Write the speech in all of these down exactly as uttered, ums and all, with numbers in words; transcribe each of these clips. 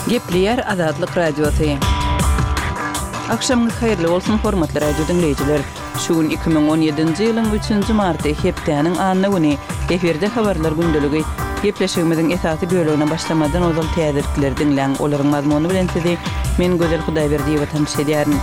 Gepleýär Azatlyk Radiosy. Agşamyňyz haýyrly bolsun, hormatly radio diňleýjiler. Şu gün iki müň on ýedinji ýylyň üçünji marty, hepdäniň anna güni. Efirde habarlar gündeligi. Gepleşigimiziň esasy bölegine başlamazdan ozal täzelikleri diňläň. Olaryň mazmuny bilen sizi men Gözel Hudaýberdiýewa tanyş edýärin.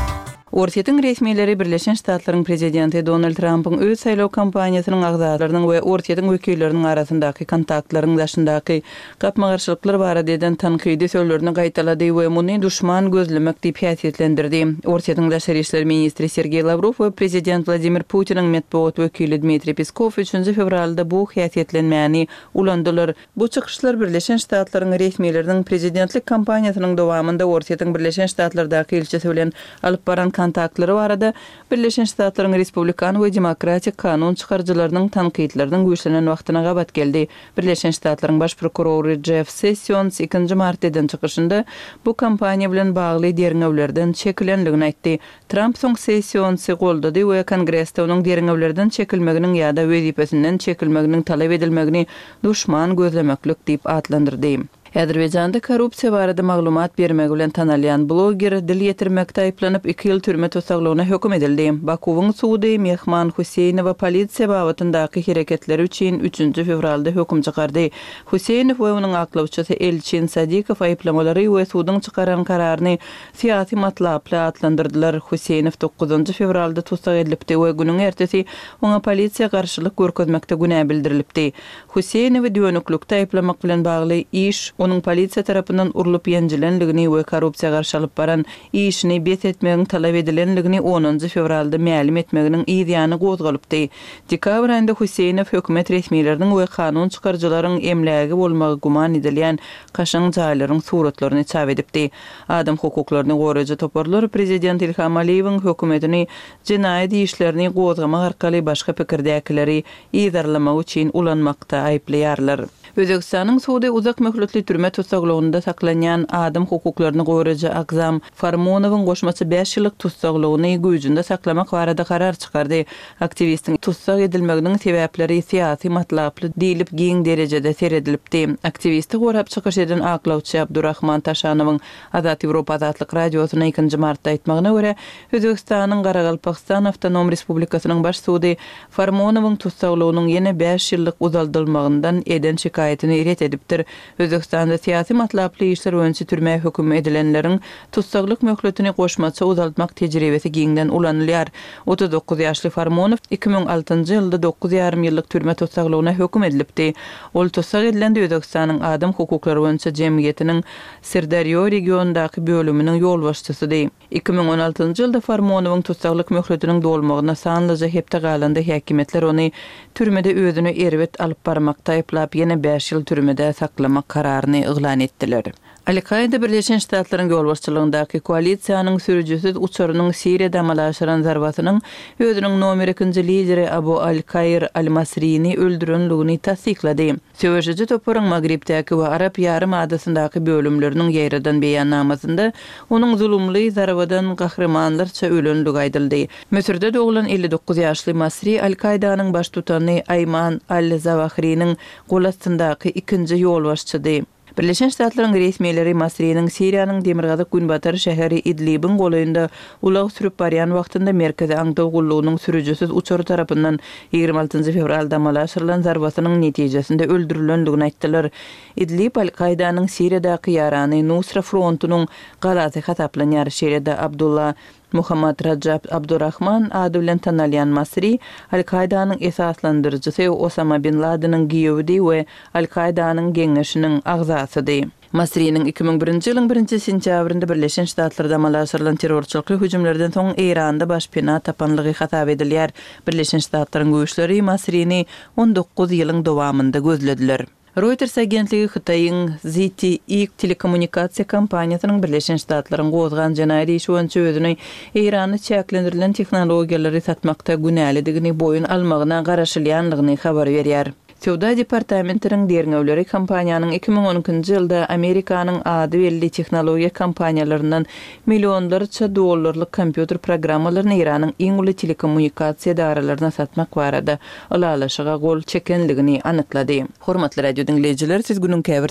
Orsýetiň resmileri Birleşen Ştatlaryň prezidenti Donald Trampyň öz saýlaw kampaniýasynyň agzalarynyň we Orsýetiň wekilleriniň arasyndaky kontaktlaryň daşyndaky gapma-garşylyklar barada eden tankydy sözlerini gaýtalady we muny duşman gözlemek diýip häsiýetlendirdi. Orsýetiň daşary işler ministri Sergeý Lawrow we prezident Wladimir Putiniň metbugat wekili Dmitriý Peskow üçünji fewralda bu häsiýetlenmäni ulandylar. Bu çykyşlar Birleşen Ştatlaryň resmileriniň prezidentlik kampaniýasynyň dowamynda Orsýetiň Birleşen Ştatlardaky ilçisi bilen alyp baran kontaktlary barada Birleşen Ştatlaryň respublikan we demokratik kanun çykaryjylarynyň tankytlarynyň güýçlenen wagtyna gabat geldi. Birleşen Ştatlaryň baş prokurory Jeff Sessions ikinji martda eden çykyşynda bu kampaniýa bilen bagly derňewlerden çekilenligini aýtdy. Tramp soň Sessionsy goldady we Kongresde onuň derňewlerden çekilmeginiň ýa-da wezipesinden çekilmeginiň talap edilmegini duşman gözlemeklik diýip atlandyrdy. Azerbaýjanda korrupsiýa barada maglumat bermegi bilen tanalýan bloger dil ýetirmekde aýyplanyp iki ýyl türme tussaglygyna höküm edildi. Bakuwyň sudy Mehman Huseýnowa polisiýa babatyndaky hereketleri üçin üçünji fewralda höküm çykardy. Huseýnow we onuň aklawçysy Elçin Sadikow aýyplamalary we suduň çykaran kararyny syýasy matlaply atlandyrdylar. Huseýnow dokuzynjy fewralda tussag edilipdi we günüň ertesi oňa polisiýa garşylyk görkezmekde günä bildirilipdi. Huseýnowy dönüklikde aýyplamak bilen bagly iş onuň polisiýa tarapyndan urlup ýenjilenligini we korrupsiýa garşy alyp baran işini bes etmegiň talap edilenligini onunjy fewralda mälim etmeginiň yz ýany gozgalypdy. Dekabr aýynda Huseýnow hökümet resmileriniň we kanun çykaryjylaryň emlägi bolmagy güman edilýän kaşaň jaýlaryň suratlaryny çap edipdi. Adam hukuklaryny goraýjy toparlar prezident Ilham Aliýewiň hökümetini jenaýat işlerini gozgamak arkaly başga pikirdäkileri yzarlamak üçin ulanmakda aýyplaýarlar. Özbekistanyň sudy uzak möhletli türme tussaglygynda saklanýan adam hukuklaryny goraýjy Akzam Farmonowyň goşmaça bäş ýyllyk tussaglygyny güýjünde saklamak barada karar çykardy. Aktiwistiň tussag edilmeginiň sebäpleri syýasy matlaply diýlip giň derejede seredilipdi. Aktiwisti gorap çykyş eden aklawçy Abdurrahman Taşanowyň Azat Ýewropa Azatlyk Radiosyna ikinji martda aýtmagyna görä, Özbekistanyň Garagalpagystan Awtonom Respublikasynyň baş sudy Farmonowyň tussaglygynyň ýene bäş ýyllyk uzaldylmagyndan eden şikaýatyny ret edipdir. Özbekistanda syýasy matlaply işler boýunça türmä höküm edilenleriň tussaglyk möhletini goşmaça uzaltmak tejribesi giňden ulanylýar. Otuz dokuz ýaşly Farmonow iki müň altynjy ýylda dokuz ýarym ýyllyk türme tussaglygyna höküm edilipdi. Ol tussag edilende Özbekistanyň adam hukuklary boýunça jemgyýetiniň Sirdarýo regionyndaky bölüminiň ýolbaşçysydy. Iki müň on altynjy ýylda Farmonowyň tussaglyk möhletiniň dolmagyna sanlyja hepde galanda häkimiýetler ony türmede özüni erbet alyp barmakda aýyplap, ýene bäş ýyl türmede saklamak kararyny yglan etdiler. Al-Kaýda Birleşen Ştatlaryň ýolbaşçylygyndaky koalisiýanyň sürüjisiz uçarynyň Siriýada amala aşyran zarbasynyň özüniň nomer ikinji lideri Abu Al-Kaýr Al-Masrini öldürenligini tassyklady. Söweşiji toparyň Magribdäki we Arap ýarym adasyndaky bölümleriniň ýaýradan beýannamasynda onuň zulumly zarbadan gahrymanlarça ölenligi aýdyldy. Müsürde doglan elli dokuz ýaşly Masri Al-Kaýdanyň baştutany Aýman Al-Zawahriniň gol astyndaky ikinji ýolbaşçydy. Birleşen Ştatlaryň resmileri Masriniň Siriýanyň demirgazyk-günbatar şäheri Idlibiň golaýynda ulag sürüp barýan wagtynda Merkezi aňtaw gullugynyň sürüjisiz uçary tarapyndan ýigrimi altynjy fewralda amala aşyrylan zarbasynyň netijesinde öldürilendigini aýtdylar. Idlib Al-Kaýdanyň Siriýadaky ýarany Nusra frontunyň galasy hasaplanýar. Şeýle-de Abdulla Muhammad Rajab Abdurrahman ady bilen tanalýan Masri Al-Kaýdanyň esaslandyryjysy Osama bin Ladeniň giýewidi we Al-Kaýdanyň geňeşiniň agzasydy. Masriniň iki müň birinji ýylyň birinji sentýabrynda Birleşen Ştatlarda amala aşyrylan terrorçylykly hüjümlerden soň Eýranda başpena tapanlygy hasap edilýär. Birleşen Ştatlaryň güýçleri Masrini on dokuz ýylyň dowamynda gözlediler. Reuters agentligi Hytaýyň Z T E telekommunikasiýa kompaniýasynyň Birleşen Ştatlaryň gozgan jenaýat işi boýunça özüni Eýranda çäklendirilen tehnologiýalary satmakda günälidigini boýun almagyna garaşylýanlygyny habar berýär. Söwda departamentiniň derňewleri kompaniýanyň iki müň on ikinji ýylda Amerikanyň ady belli tehnologiýa kompaniýalaryndan millionlarça dollarlyk kompýuter programmalaryny Eýranyň iň uly telekommunikasiýa edaralaryna satmak barada ylalaşyga gol çekenligini anyklady. Hormatly radio diňleýjiler, siz günüň käbir